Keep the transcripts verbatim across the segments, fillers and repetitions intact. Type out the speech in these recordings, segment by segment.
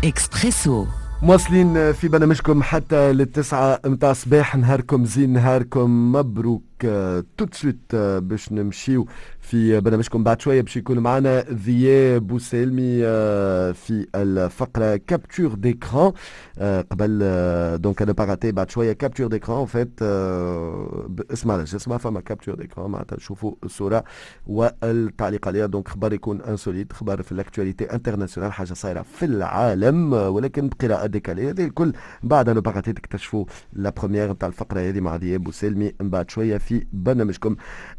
اكسبريسو. مواصلين في برنامجكم حتى للتسعة متاع الصباح. نهاركم زين، نهاركم مبروك. tout de suite باش نمشيو في برنامجكم، بعد شوية باش يكون معنا ضياء بوسالمي آه، في الفقرة capture d'écran. قبل donc à ne pas rater بعد شوية capture d'écran، en fait اسمع اسمع فما capture d'écran، معناتها تشوفوا الصورة والتعليق عليها. donc خبر يكون insolite، خبر في l'actualité internationale، حاجة صايرة في العالم ولكن بقراءة décalée. هذه الكل بعد à ne pas rater، تكتشفوا la première نتاع الفقرة هذه مع ضياء بوسالمي من بعد شوية في برنامجكم.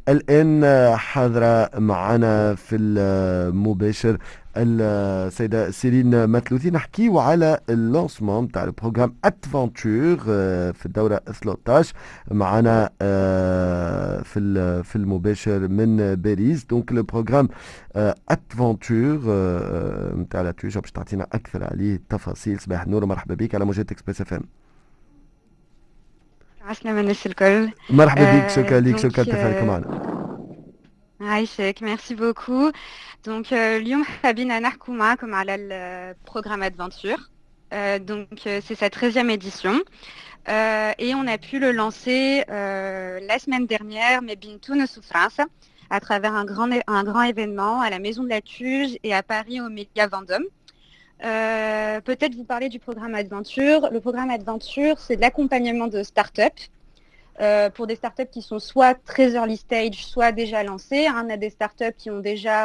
الآن حاضرة معنا في المباشر السيدة سيرين مثلوثي، نحكيو على ال lancement تاع ال programme Adventure في الدورة ثلاثة عشر، معنا آه، في في المباشر من باريس. donc le programme Adventure نتاع l'ATUGE باش تعطينا اكثر عليه التفاصيل. صباح النور ومرحبا بك على موجات Express FM. عسلامة الناس الكل. مرحبا بك، شكرا لك، شكرا تفاعلك معنا. عايشك، merci beaucoup. donc اليوم حابين نحكوا معاكم على ال programme Adventure. donc c'est sa treizième édition euh, et on a pu le lancer euh, la semaine dernière ما بين تونس وفرنسا à travers un grand, un grand événement à la Maison de l'ATUGE et à Paris au Mélia Vendôme. Euh, peut-être vous parler du programme Adventure. Le programme Adventure, c'est de l'accompagnement de start-up euh, pour des startups qui sont soit très early stage, soit déjà lancées. On a des startups qui ont déjà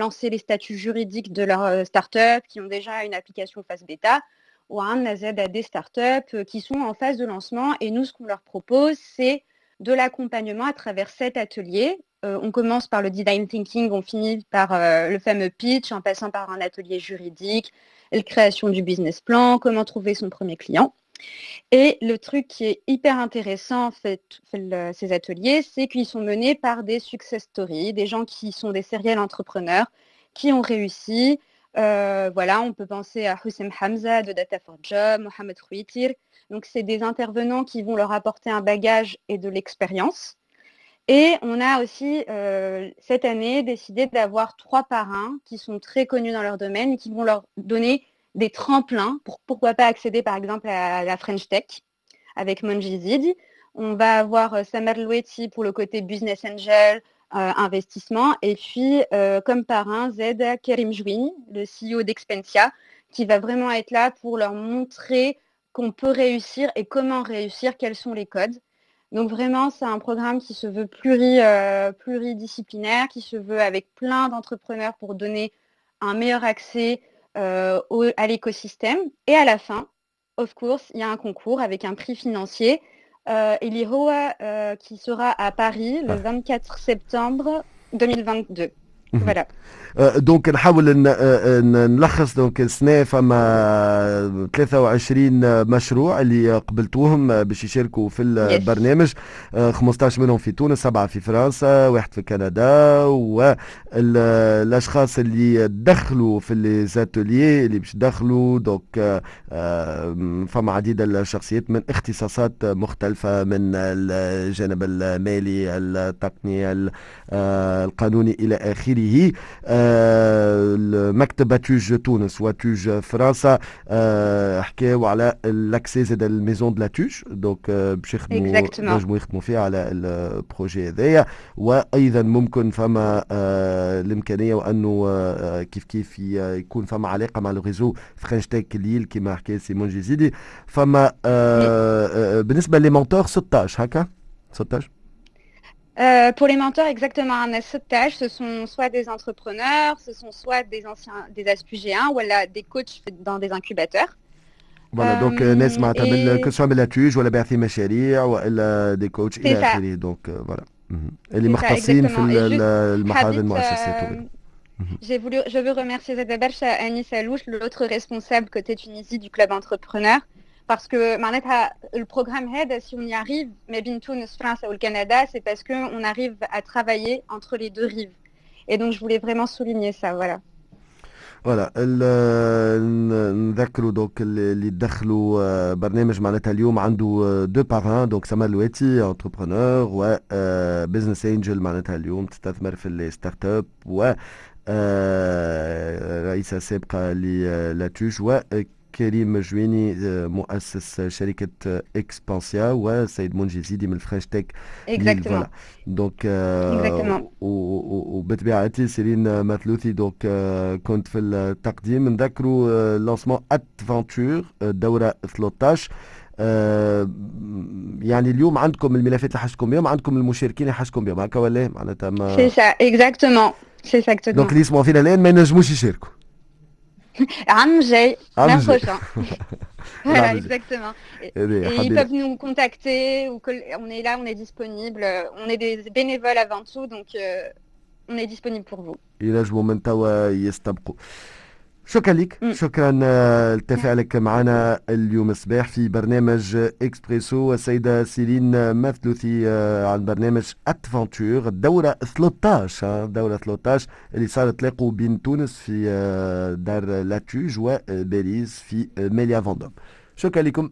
lancé les statuts juridiques de leur euh, startup, qui ont déjà une application phase bêta. وعندنا زادة des startups qui sont en phase de lancement. Et nous, ce qu'on leur propose, c'est de l'accompagnement à travers sept ateliers. Euh, on commence par le design thinking, on finit par euh, le fameux pitch, en passant par un atelier juridique, la création du business plan, comment trouver son premier client. Et le truc qui est hyper intéressant en fait, le, ces ateliers, c'est qu'ils sont menés par des success stories, des gens qui sont des serial entrepreneurs, qui ont réussi. Euh, voilà, on peut penser à Houssem Hamza de Data for Job, Mohamed Rouitir. Donc, c'est des intervenants qui vont leur apporter un bagage et de l'expérience. Et on a aussi, euh, cette année, décidé d'avoir trois parrains qui sont très connus dans leur domaine et qui vont leur donner des tremplins pour pourquoi pas accéder par exemple à la French Tech avec Mongi Zidi. On va avoir euh, Samer Loueti pour le côté business angel, euh, investissement. Et puis, euh, comme parrain, زادة Karim Jouini, le C E O d'Expensia, qui va vraiment être là pour leur montrer qu'on peut réussir et comment réussir, quels sont les codes. Donc vraiment, c'est un programme qui se veut pluri, euh, pluridisciplinaire, qui se veut avec plein d'entrepreneurs pour donner un meilleur accès euh, au, à l'écosystème. Et à la fin, of course, il y a un concours avec un prix financier euh, اللي هو euh, qui sera à Paris le vingt-quatre septembre deux mille vingt-deux. Voilà. donc نحاول نلخص، donc السنة فما ثلاثة وعشرين مشروع اللي قبلتوهم باش يشاركوا في البرنامج، خمسة عشر منهم في تونس، سبعة في فرنسا، واحد في كندا. والاشخاص اللي دخلوا في les ateliers اللي باش دخلوا، donc فما عديد الشخصيات من اختصاصات مختلفة، من الجانب المالي، التقني، القانوني، الى اخره. مكتب ATUGE تونس و ATUGE فرنسا حكاو على l'accès زاد ال maison de l'ATUGE، donc باش يخدموا، نجموا يخدموا فيها على ال projet هذايا. وايضا ممكن فما الامكانية وانه كيف كيف يكون فما علاقة مع le réseau French Tech Lille كما حكى سي منجي زيدي. فما بالنسبة les mentors ستة عشر، هكا ستة عشر. Euh, pour les mentors, exactement, un ستاش, ce sont soit des entrepreneurs, ce sont soit des anciens, des ASPUGéens ou des coachs dans des incubateurs. Voilà, donc ناس معناتها من que ce soit من l'ATUGE ولا باعثين مشاريع والا des coachs الى اخره، donc voilà اللي مختصين في المحاضن المؤسسات. J'ai voulu, je veux remercier زادة برشا Anis Alouche, l'autre responsable côté Tunisie du club entrepreneur, parce que معناتها le programme هذا, si on y arrive, ما بين تونس, فرنسا ou le Canada, c'est parce qu'on arrive à travailler entre les deux rives. Et donc je voulais vraiment souligner ça, voilà. Voilà، نذكروا donc اللي دخلوا برنامج معناتها اليوم عنده deux parrains، donc سمر الواتي entrepreneur و business angel، معناتها اليوم تستثمر في les startups و رئيسة سابقة ل l'ATUGE، وكريم جويني مؤسس شركة اكسبانسيا، وسيد منجي زيدي من French Tech. Exactement. donc وبطبيعتي سيرين مثلوثي donc كنت في التقديم. نذكروا lancement ATventure الدورة ثلاثة عشر. يعني اليوم عندكم الملفات اللي حاجتكم بهم، عندكم المشاركين اللي حاجتكم بهم، هكا ولا معناتها ما c'est ça، exactement، c'est ça. donc اللي يسمعوا فينا الان ما ينجموش يشاركوا. عام جاي، l'an prochain. Voilà, exactement. Et, et ils peuvent nous contacter, ou que, on est là, on est disponible. On est des bénévoles avant tout, donc euh, on est disponible pour vous. ينجموا من توا يستبقوا. شكرا لك، شكرا لتفاعلك معنا اليوم الصباح في برنامج اكسبريسو، السيدة سيرين مثلوثي عن برنامج ATventure الدورة ثلاثة عشر، الدورة ثلاثة عشر اللي صارت تلاقوا بين تونس في دار l'ATUGE وباريس في Mélia Vendôme. شكرا لكم.